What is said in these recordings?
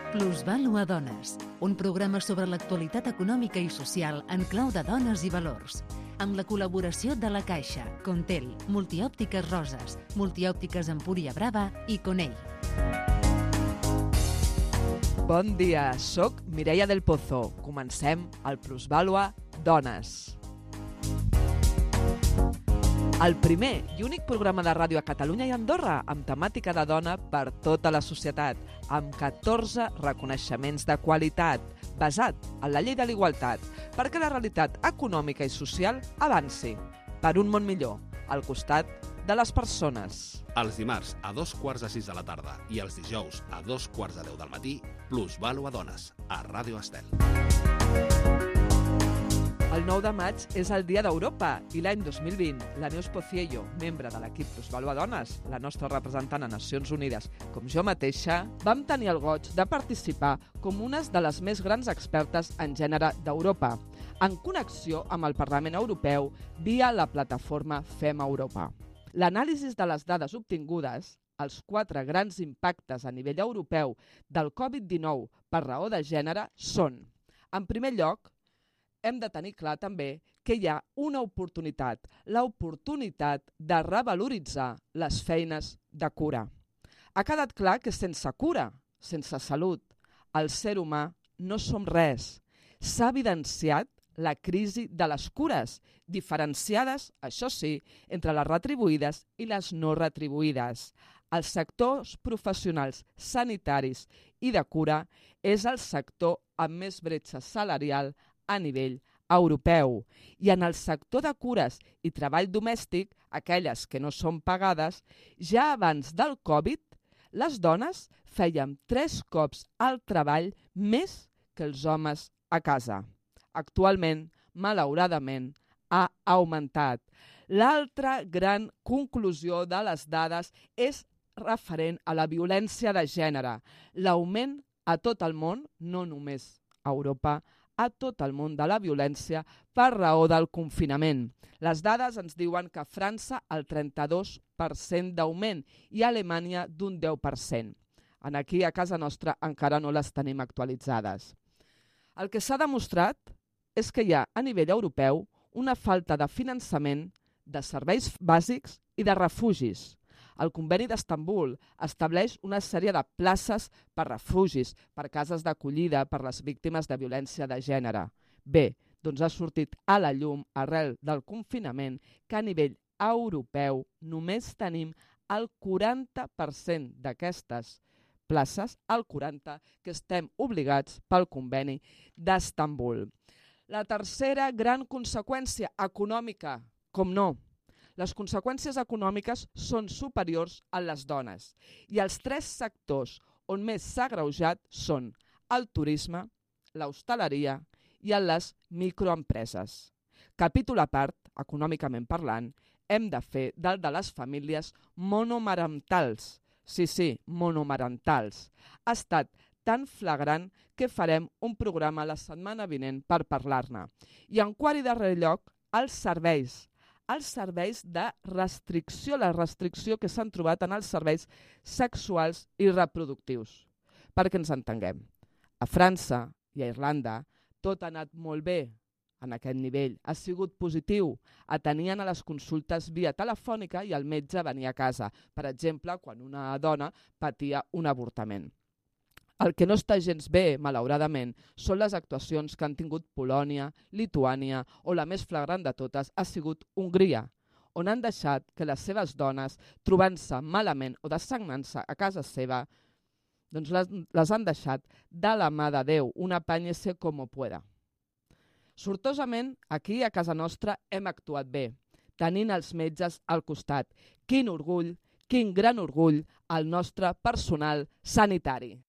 Plusvàlua Dones, un programa sobre l'actualitat econòmica i social en clau de dones i valors, amb la col·laboració de La Caixa, Contel, Multiòptiques Roses, Multiòptiques Empúria Brava i Conell. Bon dia, soc Mireia del Pozo. Comencem el Plusvàlua Dones. El primer i únic programa de ràdio a Catalunya i Andorra amb temàtica de dona per tota la societat, amb 14 reconeixements de qualitat, basat en la llei de l'igualtat, perquè la realitat econòmica i social avanci per un món millor, al costat de les persones. Els dimarts a 5:45 de la tarda i els dijous a 10:15 del matí, Plusvàlua Dones, a Ràdio Estel. El 9 de maig és el Dia d'Europa i l'any 2020 la Neus Pociello, membre de l'equip Plusvàlua Dones, la nostra representant a Nacions Unides, com jo mateixa, vam tenir el goig de participar com unes de les més grans expertes en gènere d'Europa, en connexió amb el Parlament Europeu via la plataforma Fem Europa. L'anàlisi de les dades obtingudes, els 4 grans impactes a nivell europeu del Covid-19 per raó de gènere són, en primer lloc, hem de tenir clar també que hi ha una oportunitat, l'oportunitat de revaloritzar les feines de cura. Ha quedat clar que sense cura, sense salut, el ser humà no som res. S'ha evidenciat la crisi de les cures, diferenciades, això sí, entre les retribuïdes i les no retribuïdes. Els sectors professionals sanitaris i de cura és el sector amb més bretxa salarial a nivell europeu. I en el sector de cures i treball domèstic, aquelles que no són pagades, ja abans del Covid, les dones feien 3 cops el treball més que els homes a casa. Actualment, malauradament, ha augmentat. L'altra gran conclusió de les dades és referent a la violència de gènere. L'augment a tot el món, no només a Europa, a tot el món de la violència per raó del confinament. Les dades ens diuen que a França el 32% d'augment i a Alemanya d'un 10%. Aquí a casa nostra encara no les tenim actualitzades. El que s'ha demostrat és que hi ha a nivell europeu una falta de finançament de serveis bàsics i de refugis. El Conveni d'Istanbul estableix una sèrie de places per refugis, per cases d'acollida per les víctimes de violència de gènere. Bé, doncs ha sortit a la llum arrel del confinament que a nivell europeu només tenim el 40% d'aquestes places, el 40% que estem obligats pel Conveni d'Istanbul. La tercera gran conseqüència econòmica, com no, les conseqüències econòmiques són superiors a les dones i els 3 sectors on més s'ha agreujat són el turisme, l'hostaleria i les microempreses. Capítol a part, econòmicament parlant, hem de fer del de les famílies monomarentals. Sí, monomarentals. Ha estat tan flagrant que farem un programa la setmana vinent per parlar-ne. I en quart i darrer lloc, els serveis de restricció, la restricció que s'han trobat en els serveis sexuals i reproductius. Perquè ens entenguem, a França i a Irlanda tot ha anat molt bé en aquest nivell. Ha sigut positiu. Atenien a les consultes via telefònica i el metge venia a casa, per exemple, quan una dona patia un avortament. El que no està gens bé, malauradament, són les actuacions que han tingut Polònia, Lituània o la més flagrant de totes ha sigut Hongria, on han deixat que les seves dones, trobant-se malament o dessagnant-se a casa seva, doncs les han deixat de la mà de Déu, un apáñese como pueda. Sortosament, aquí a casa nostra hem actuat bé, tenint els metges al costat. Quin orgull, quin gran orgull al nostre personal sanitari.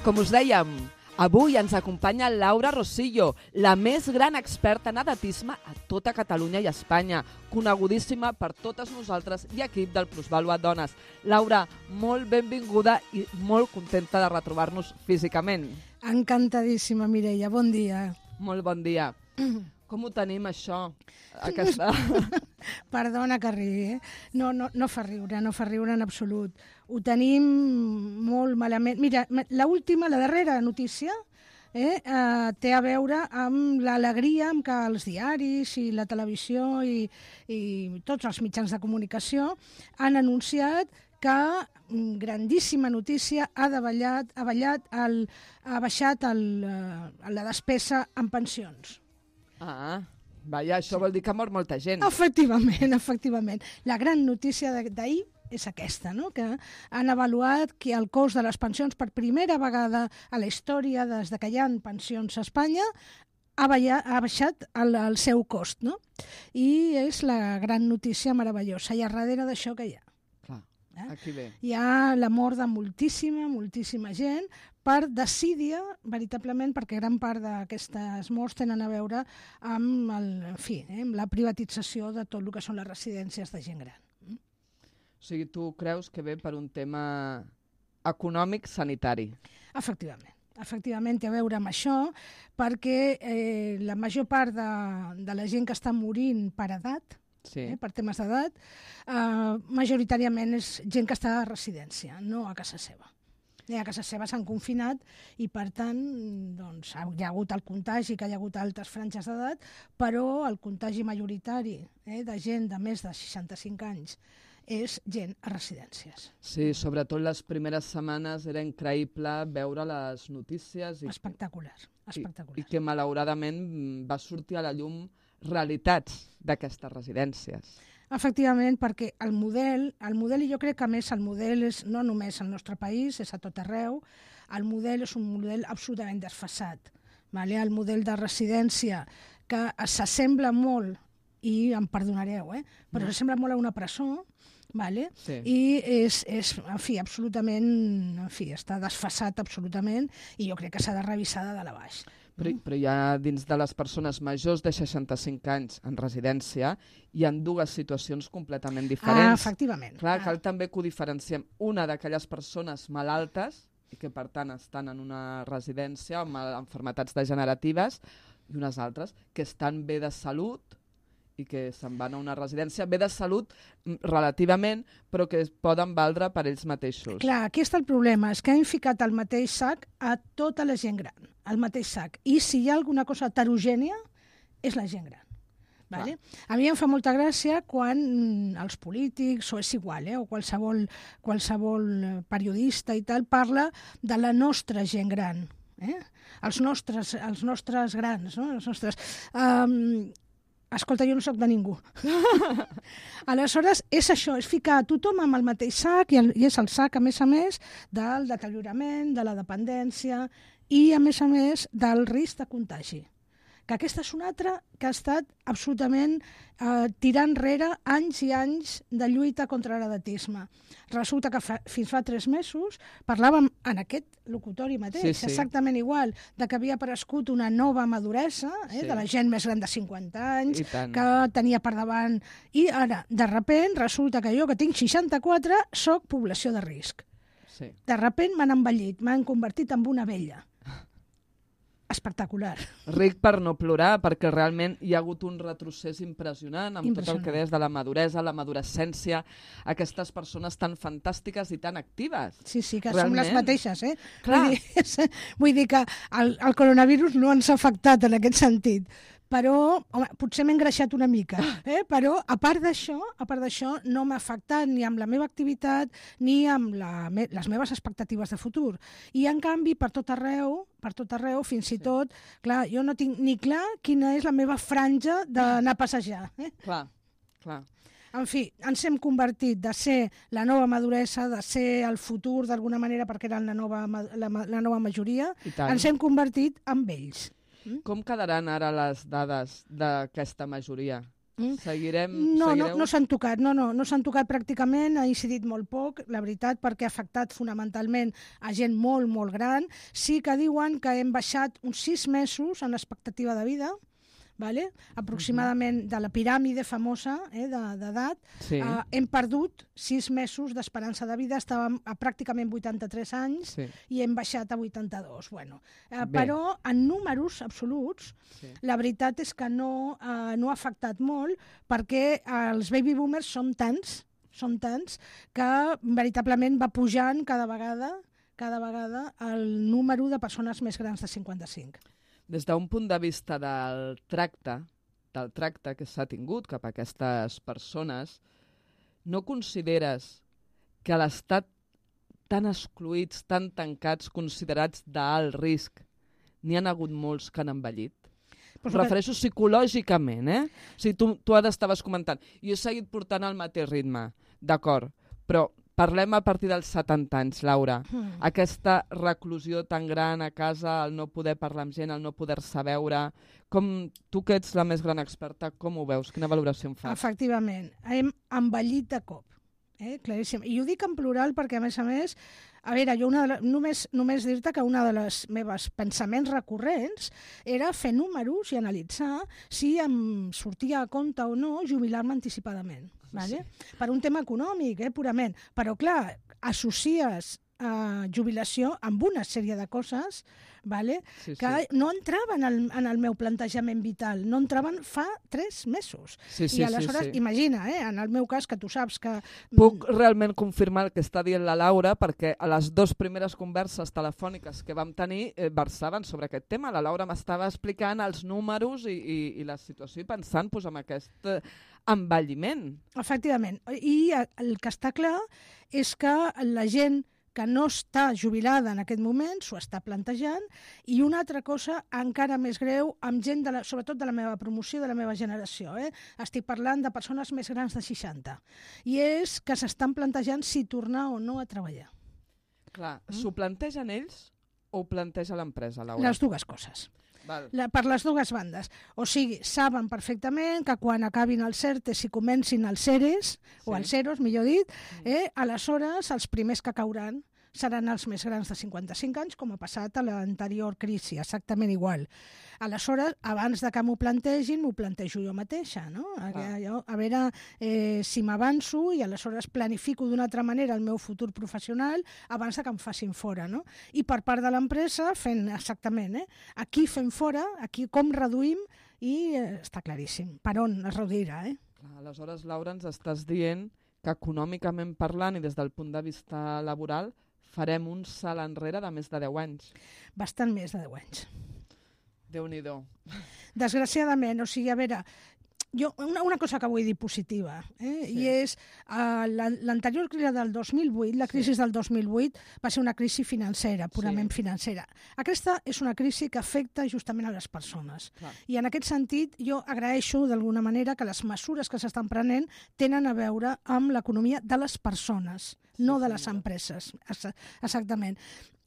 Com us dèiem, avui ens acompanya Laura Rosillo, la més gran experta en edatisme a tota Catalunya i Espanya, conegudíssima per totes nosaltres i equip del Plusvàlua Dones. Laura, molt benvinguda i molt contenta de retrobar-nos físicament. Encantadíssima, Mireia, bon dia. Molt bon dia. Com ho tenim, això? Perdona que rigui, no fa riure en absolut. Ho tenim molt malament. Mira, la darrera notícia té a veure amb l'alegria amb què els diaris i la televisió i tots els mitjans de comunicació han anunciat que, grandíssima notícia, ha baixat la despesa en pensions. Vaja, això vol dir que ha mort molta gent. Efectivament. La gran notícia d'ahir és aquesta, no? Que han avaluat que el cost de les pensions per primera vegada a la història, des que hi ha pensions a Espanya, ha baixat el seu cost, no? I és la gran notícia meravellosa. I a darrere d'això que hi ha? Aquí ve. Hi ha la mort de moltíssima gent per desídia, veritablement, perquè gran part d'aquestes morts tenen a veure amb, amb la privatització de tot el que són les residències de gent gran. O sigui, tu creus que ve per un tema econòmic sanitari? Efectivament, té a veure amb això, perquè la major part de la gent que està morint per edat, per temes d'edat, majoritàriament és gent que està a residència, no a casa seva. A casa seva s'han confinat i, per tant, doncs, hi ha hagut el contagi, que hi ha hagut altes franges d'edat, però el contagi majoritari de gent de més de 65 anys és gent a residències. Sí, sobretot les primeres setmanes era increïble veure les notícies. Espectacular. I que, malauradament, va sortir a la llum realitats d'aquestes residències. Efectivament, perquè el model, i jo crec que a més el model és no només al nostre país, és a tot arreu, el model és un model absolutament desfasat. El model de residència que s'assembla molt, i em perdonareu, però s'assembla molt a una presó, i és absolutament, està desfasat absolutament, i jo crec que s'ha de revisar de dalt a baix. Però hi ha, dins de les persones majors de 65 anys en residència, hi ha dues situacions completament diferents. Efectivament. Clar, cal també que ho diferenciem. Una d'aquelles persones malaltes, i que per tant estan en una residència amb malalties degeneratives, i unes altres que estan bé de salut i que se'n van a una residència bé de salut relativament, però que es poden valdre per ells mateixos. Clar, aquí està el problema, és que hem ficat al mateix sac a tota la gent gran, al mateix sac. I si hi ha alguna cosa heterogènia, és la gent gran. Vale? A mi em fa molta gràcia quan els polítics, o és igual, o qualsevol periodista i tal, parla de la nostra gent gran. Els nostres grans, no? Els nostres... Escolta, jo no soc de ningú. Aleshores, és això, és ficar tothom amb el mateix sac, i és el sac, a més, del deteriorament, de la dependència i, a més, del risc de contagi. Que aquesta és una altra que ha estat absolutament tirant enrere anys i anys de lluita contra l'edatisme. Resulta que fins fa 3 mesos parlàvem en aquest locutori mateix, exactament igual, de que havia aparegut una nova maduresa de la gent més gran de 50 anys, que tenia per davant... I ara, de sobte, resulta que jo, que tinc 64, soc població de risc. De sobte m'han envellit, m'han convertit en una vella. Espectacular. Ric per no plorar, perquè realment hi ha hagut un retrocés impressionant amb tot el que deies de la maduresa, la madurescència, aquestes persones tan fantàstiques i tan actives. Sí, que som les mateixes, Clar. Vull dir que el coronavirus no ens ha afectat en aquest sentit. Però, home, potser m'he engreixat una mica, però a part d'això no m'ha afectat ni amb la meva activitat ni amb les meves expectatives de futur. I, en canvi, per tot arreu, fins i tot, clar, jo no tinc ni clar quina és la meva franja d'anar a passejar. Clar. En fi, ens hem convertit de ser la nova maduresa, de ser el futur d'alguna manera perquè eren la nova majoria, ens hem convertit en vells. Com quedaran ara les dades d'aquesta majoria? Seguirem? No s'han tocat, no s'han tocat pràcticament, ha incidit molt poc, la veritat, perquè ha afectat fonamentalment a gent molt, molt gran. Sí que diuen que hem baixat uns 6 mesos en l'expectativa de vida, vale? Aproximadament de la piràmide famosa d'edat, hem perdut 6 mesos d'esperança de vida, estàvem a pràcticament 83 anys i hem baixat a 82. Bueno, però en números absoluts, la veritat és que no ha afectat molt perquè els baby boomers són tants que veritablement va pujant cada vegada el número de persones més grans de 55. Des d'un punt de vista del tracte que s'ha tingut cap a aquestes persones, no consideres que a l'estat tan excluïts, tan tancats, considerats d'alt risc, n'hi han hagut molts que han envellit? Em refereixo psicològicament, O sigui, tu ara estaves comentant, jo he seguit portant el mateix ritme, d'acord, però parlem a partir dels 70 anys, Laura. Aquesta reclusió tan gran a casa, el no poder parlar amb gent, el no poder-se veure, tu que ets la més gran experta, com ho veus? Quina valoració en fas? Efectivament, hem envellit de cop. Claríssim. I ho dic en plural perquè, a més, a veure, jo només dir-te que una de les meves pensaments recurrents era fer números i analitzar si em sortia a compte o no jubilar-me anticipadament. Vale? Per un tema econòmic, purament. Però, clar, associes jubilació amb una sèrie de coses que no entraven en el meu plantejament vital, no entraven fa 3 mesos. I aleshores, imagina, en el meu cas, que tu saps que... Puc realment confirmar el que està dient la Laura, perquè a les 2 primeres converses telefòniques que vam tenir versaven sobre aquest tema. La Laura m'estava explicant els números i la situació i pensant en aquest envelliment. Efectivament. I el que està clar és que la gent que no està jubilada en aquest moment s'ho està plantejant, i una altra cosa encara més greu amb gent, sobretot de la meva promoció, de la meva generació. Estic parlant de persones més grans de 60. I és que s'estan plantejant si tornar o no a treballar. Clar, s'ho plantegen ells o ho planteja l'empresa, Laura? Les dues coses. Per les dues bandes. O sigui, saben perfectament que quan acabin els ERTEs i comencin els EREs, o els EROs, millor dit, aleshores els primers que cauran seran els més grans de 55 anys, com ha passat a l'anterior crisi, exactament igual. Aleshores, abans de que m'ho plantegin, m'ho plantejo jo mateixa, no? A veure si m'avanço i aleshores planifico d'una altra manera el meu futur professional abans de que em facin fora, no? I per part de l'empresa, fent exactament, aquí fem fora, aquí com reduïm, i està claríssim per on es reduirà. Aleshores, Laura, ens estàs dient que econòmicament parlant i des del punt de vista laboral farem un salt enrere de més de 10 anys. Bastant més de 10 anys. Déu-n'hi-do. Desgraciadament, o sigui, a veure, jo una cosa que vull dir positiva, i és l'anterior crisi del 2008, la crisi del 2008 va ser una crisi financera, purament financera. Aquesta és una crisi que afecta justament a les persones. I en aquest sentit jo agraeixo d'alguna manera que les mesures que s'estan prenent tenen a veure amb l'economia de les persones, no de les empreses, exactament.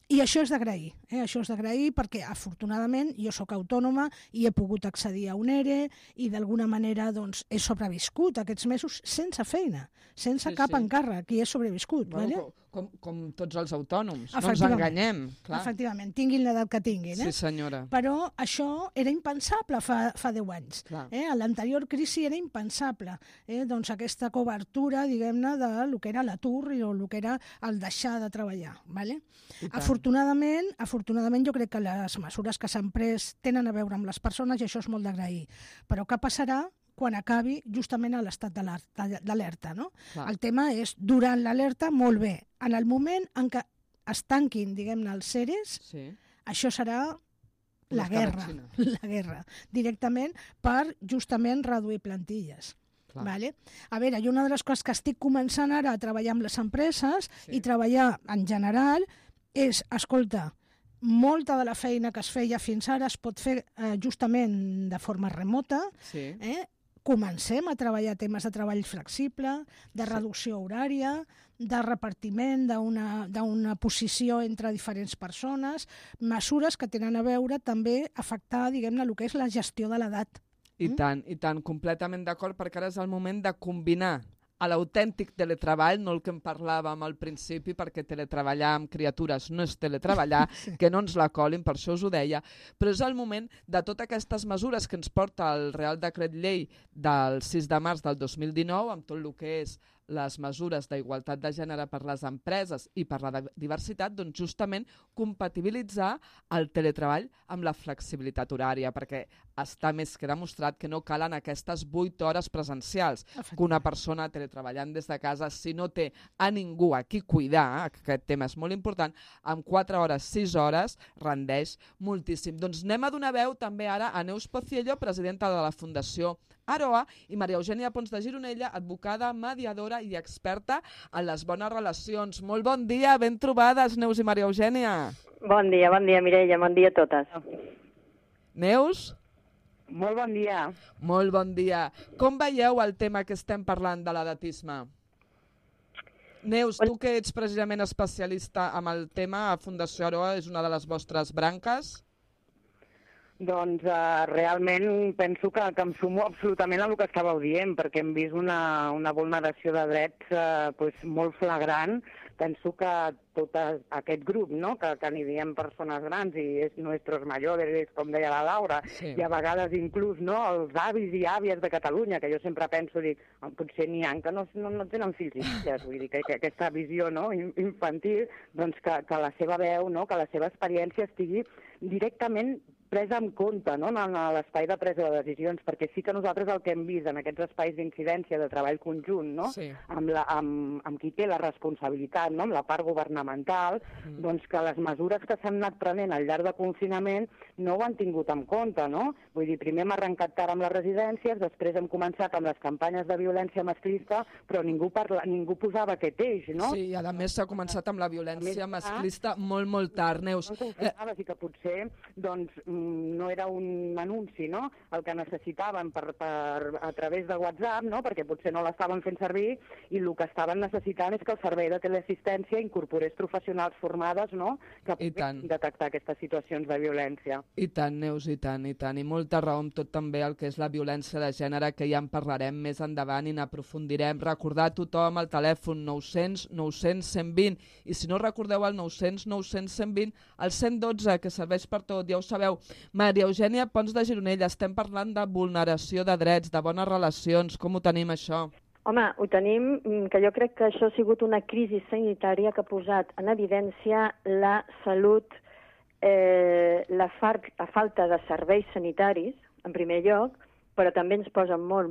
I això és d'agrair, això és d'agrair perquè afortunadament jo sóc autònoma i he pogut accedir a un ERE i d'alguna manera doncs, he sobreviscut aquests mesos sense feina, sense cap encàrrec, i he sobreviscut. Com tots els autònoms, no ens enganyem. Efectivament, tinguin l'edat que tinguin. Sí, senyora. Però això era impensable fa 10 anys. A l'anterior crisi era impensable. Doncs aquesta cobertura, diguem-ne, del que era l'atur o el que era el deixar de treballar. Afortunadament jo crec que les mesures que s'han pres tenen a veure amb les persones i això és molt d'agrair. Però què passarà quan acabi justament a l'estat d'alerta, no? El tema és, durant l'alerta, molt bé. En el moment en què es tanquin, diguem-ne, els EREs, això serà la guerra, directament per justament reduir plantilles. A veure, i una de les coses que estic començant ara a treballar amb les empreses i treballar en general és, escolta, molta de la feina que es feia fins ara es pot fer justament de forma remota. Comencem a treballar temes de treball flexible, de reducció horària, de repartiment d'una posició entre diferents persones, mesures que tenen a veure també afectar, diguem-ne, el que és la gestió de l'edat. I tant, completament d'acord, perquè ara és el moment de combinar a l'autèntic teletreball, no el que en parlàvem al principi, perquè teletreballar amb criatures no és teletreballar, que no ens la colin, per això us ho deia, però és el moment de totes aquestes mesures que ens porta el Real Decret Llei del 6 de març del 2019, amb tot el que és les mesures d'igualtat de gènere per les empreses i per la diversitat, doncs justament compatibilitzar el teletreball amb la flexibilitat horària, perquè està més que demostrat que no calen aquestes 8 hores presencials, que una persona teletreballant des de casa, si no té a ningú a qui cuidar, aquest tema és molt important, amb 4 hores, 6 hores, rendeix moltíssim. Doncs anem a donar veu també ara a Neus Pociello, presidenta de la Fundació Aroa, i Maria Eugènia Pons de Gironella, advocada, mediadora i experta en les bones relacions. Molt bon dia, ben trobades, Neus i Maria Eugènia. Bon dia, Mireia, bon dia a totes. Neus? Molt bon dia. Molt bon dia. Com veieu el tema que estem parlant de l'edatisme? Neus, tu que ets precisament especialista en el tema, a Fundació Aroa és una de les vostres branques? Doncs realment penso que em sumo absolutament a el que estàveu dient, perquè hem vist una vulneració de drets molt flagrant. Penso que tot aquest grup, no? que n'hi diem persones grans i és nuestros mayores, com deia la Laura, sí. I a vegades inclús els avis i àvies de Catalunya, que jo sempre penso, dic, potser n'hi ha que no tenen fills i filles, vull dir que aquesta visió infantil, doncs que la seva veu, que la seva experiència estigui directament presa en compte en l'espai de presa de decisions, perquè sí que nosaltres el que hem vist en aquests espais d'incidència de treball conjunt, sí. amb qui té la responsabilitat, amb la part governamental, doncs que les mesures que s'han anat prenent al llarg de confinament no ho han tingut en compte, no? Vull dir, primer hem arrencat tard amb les residències, després hem començat amb les campanyes de violència masclista, però ningú posava aquest eix, no? Sí, i a més s'ha començat amb la violència masclista molt tard, Neus. I que potser, doncs, no era un anunci, no?, el que necessitaven a través de WhatsApp, no?, perquè potser no l'estaven fent servir, i el que estaven necessitant és que el servei de teleassistència incorporés professionals formades, no?, que poguessin detectar aquestes situacions de violència. I tant, Neus, i tant, i molta raó amb tot també el que és la violència de gènere, que ja en parlarem més endavant i n'aprofundirem. Recordar a tothom el telèfon 900 900 120, i si no recordeu el 900 900 120, el 112, que serveix per tot, ja ho sabeu. Maria Eugènia Pons de Gironella, estem parlant de vulneració de drets, de bones relacions. Com ho tenim, això? Home, ho tenim, que jo crec que això ha sigut una crisi sanitària que ha posat en evidència la salut, la falta de serveis sanitaris, en primer lloc, però també ens posa molt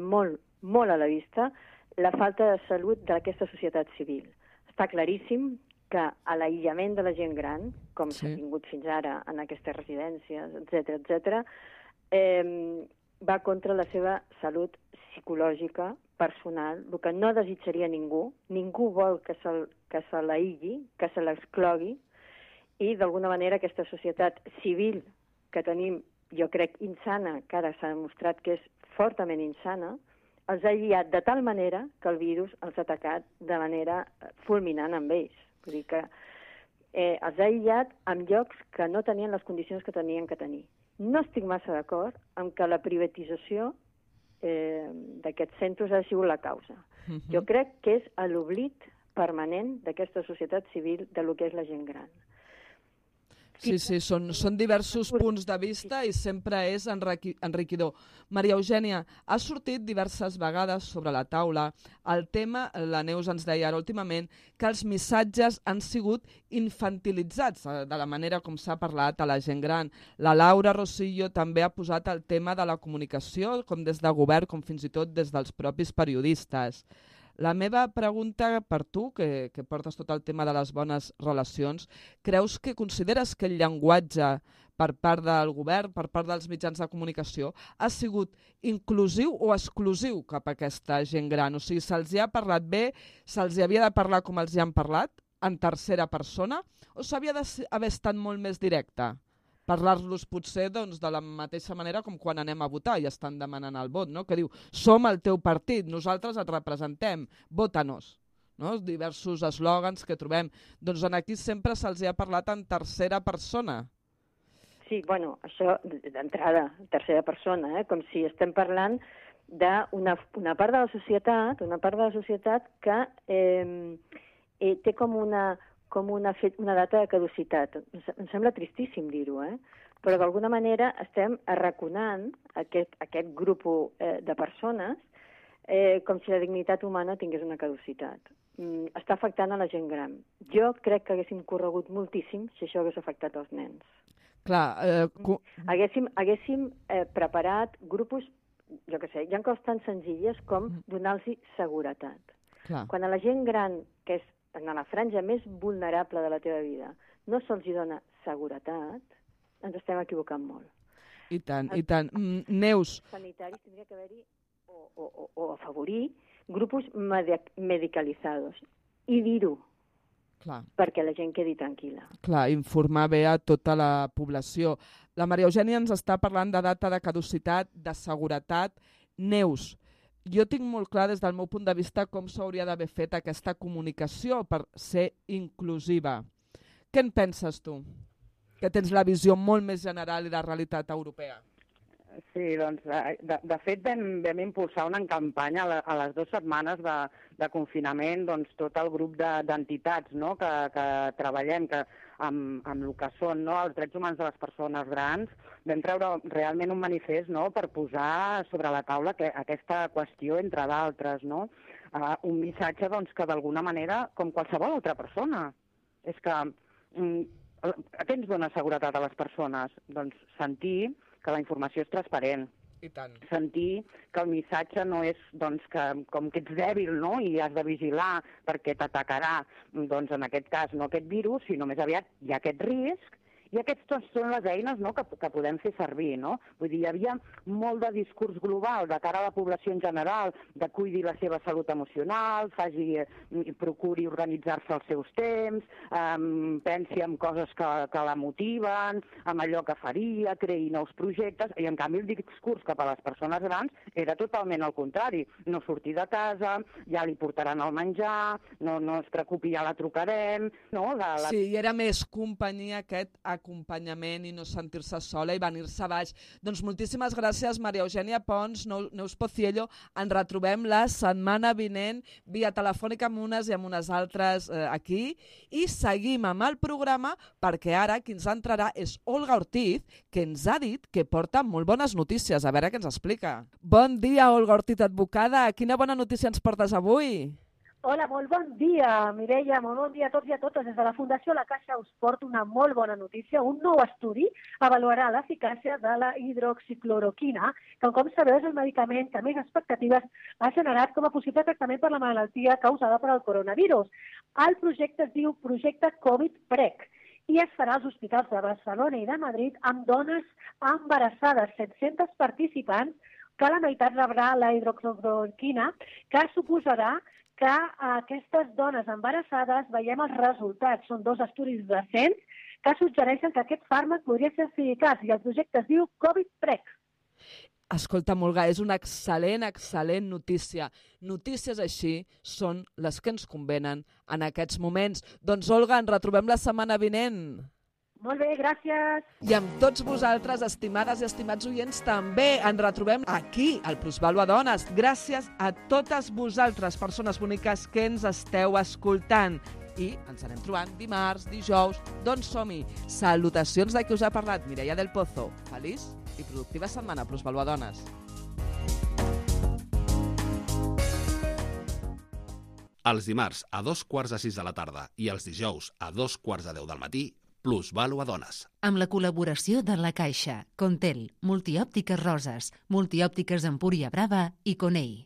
a la vista la falta de salut d'aquesta societat civil. Està claríssim que a l'aïllament de la gent gran, com s'ha tingut fins ara en aquestes residències, etc., va contra la seva salut psicològica, personal, el que no desitjaria ningú vol que se l'aïlli, que se l'exclogui, i d'alguna manera aquesta societat civil que tenim, jo crec, insana, que ara s'ha demostrat que és fortament insana, els ha aïllat de tal manera que el virus els ha atacat de manera fulminant amb ells. Vull dir que els ha aïllat en llocs que no tenien les condicions que tenien que tenir. No estic massa d'acord amb que la privatització d'aquests centres ha sigut la causa. Jo crec que és l'oblit permanent d'aquesta societat civil de lo que és la gent gran. Sí, són diversos punts de vista i sempre és enriquidor. Maria Eugènia, ha sortit diverses vegades sobre la taula el tema, la Neus ens deia ara últimament, que els missatges han sigut infantilitzats de la manera com s'ha parlat a la gent gran. La Laura Rosillo també ha posat el tema de la comunicació, com des de govern, com fins i tot des dels propis periodistes. La meva pregunta per tu, que portes tot el tema de les bones relacions, consideres que el llenguatge per part del govern, per part dels mitjans de comunicació, ha sigut inclusiu o exclusiu cap a aquesta gent gran? O sigui, se'ls hi ha parlat bé, se'ls hi havia de parlar com els hi han parlat, en tercera persona, o s'havia d'haver estat molt més directe? Parlar-los potser de la mateixa manera com quan anem a votar i estan demanant el vot, no? Que diu, som el teu partit, nosaltres et representem, vota-nos. No? Diversos eslògans que trobem. Doncs aquí sempre se'ls ha parlat en tercera persona. Sí, bueno, això d'entrada, tercera persona, com si estem parlant d'una part de la societat, que té com una data de caducitat. Em sembla tristíssim dir-ho, però d'alguna manera estem arraconant aquest grup de persones com si la dignitat humana tingués una caducitat. Està afectant a la gent gran. Jo crec que haguéssim corregut moltíssim si això hagués afectat els nens. Clar, Haguéssim preparat grups, jo què sé, hi ha coses tan senzilles com donar-los seguretat. clar. Quan a la gent gran, que és en la franja més vulnerable de la teva vida, no se'ls dona seguretat, ens estem equivocant molt. I tant, i tant. Neus. Sanitaris tindria que haver-hi o afavorir grups medicalizados i dir-ho perquè la gent quedi tranquil·la. Clar, informar bé a tota la població. La Maria Eugènia ens està parlant de data de caducitat, de seguretat. Neus, jo tinc molt clar des del meu punt de vista com s'hauria d'haver fet aquesta comunicació per ser inclusiva. Què en penses tu? Que tens la visió molt més general i de realitat europea. Sí, doncs, de fet vam impulsar una campanya a les 2 setmanes de confinament, doncs tot el grup d'entitats que treballem amb el que són els drets humans de les persones grans. Vam treure realment un manifest per posar sobre la taula aquesta qüestió, entre d'altres, un missatge que d'alguna manera, com qualsevol altra persona, és que què ens dona seguretat a les persones? Doncs sentir que la informació és transparent. I tant. Sentir que el missatge no és com que ets dèbil i has de vigilar perquè t'atacarà, doncs en aquest cas no aquest virus, sinó més aviat hi ha aquest risc i aquestes són les eines que podem fer servir. Vull dir, hi havia molt de discurs global de cara a la població en general, de cuidi la seva salut emocional, procuri organitzar-se els seus temps, pensi en coses que la motiven, en allò que faria, creï nous projectes, i en canvi el discurs cap a les persones grans era totalment el contrari. No sortir de casa, ja li portaran el menjar, no es preocupi, ja la trucarem. Sí, i era més companyia aquest acompanyament i no sentir-se sola i venir-se baix. Doncs moltíssimes gràcies, Maria Eugènia Pons, Neus Pociello. Ens retrobem la setmana vinent via telefònica amb unes i amb unes altres aquí i seguim amb el programa perquè ara qui ens entrarà és Olga Ortiz, que ens ha dit que porta molt bones notícies. A veure què ens explica. Bon dia, Olga Ortiz, advocada. Quina bona notícia ens portes avui? Hola, molt bon dia, Mireia, molt bon dia a tots i a totes. Des de la Fundació La Caixa us porto una molt bona notícia. Un nou estudi avaluarà l'eficàcia de la hidroxicloroquina, que, com sabeu, és el medicament que més expectatives ha generat com a possible tractament per la malaltia causada per el coronavirus. El projecte es diu Projecte Covid-PREC i es farà als hospitals de Barcelona i de Madrid amb dones embarassades, 700 participants, que la meitat rebrà la hidroxicloroquina, que suposarà que aquestes dones embarassades veiem els resultats. Són 2 estudis recents que suggereixen que aquest fàrmac podria ser eficaç i el projecte es diu Covid-PREC. Escolta, Olga, és una excel·lent notícia. Notícies així són les que ens convenen en aquests moments. Doncs, Olga, ens retrobem la setmana vinent. Molt bé, gràcies. I amb tots vosaltres, estimades i estimats oients, també ens retrobem aquí, al Plusvàlua Dones. Gràcies a totes vosaltres, persones boniques que ens esteu escoltant. I ens anem trobant dimarts, dijous, doncs som-hi. Salutacions de qui us ha parlat, Mireia del Pozo. Feliç i productiva setmana, Plusvàlua Dones. Els dimarts a 5:15 de la tarda i els dijous a 5:45 del matí, Plusvàlua Dones. Amb la col·laboració de La Caixa, Contel, Multiòptiques Roses, Multiòptiques Empúria Brava i Conei.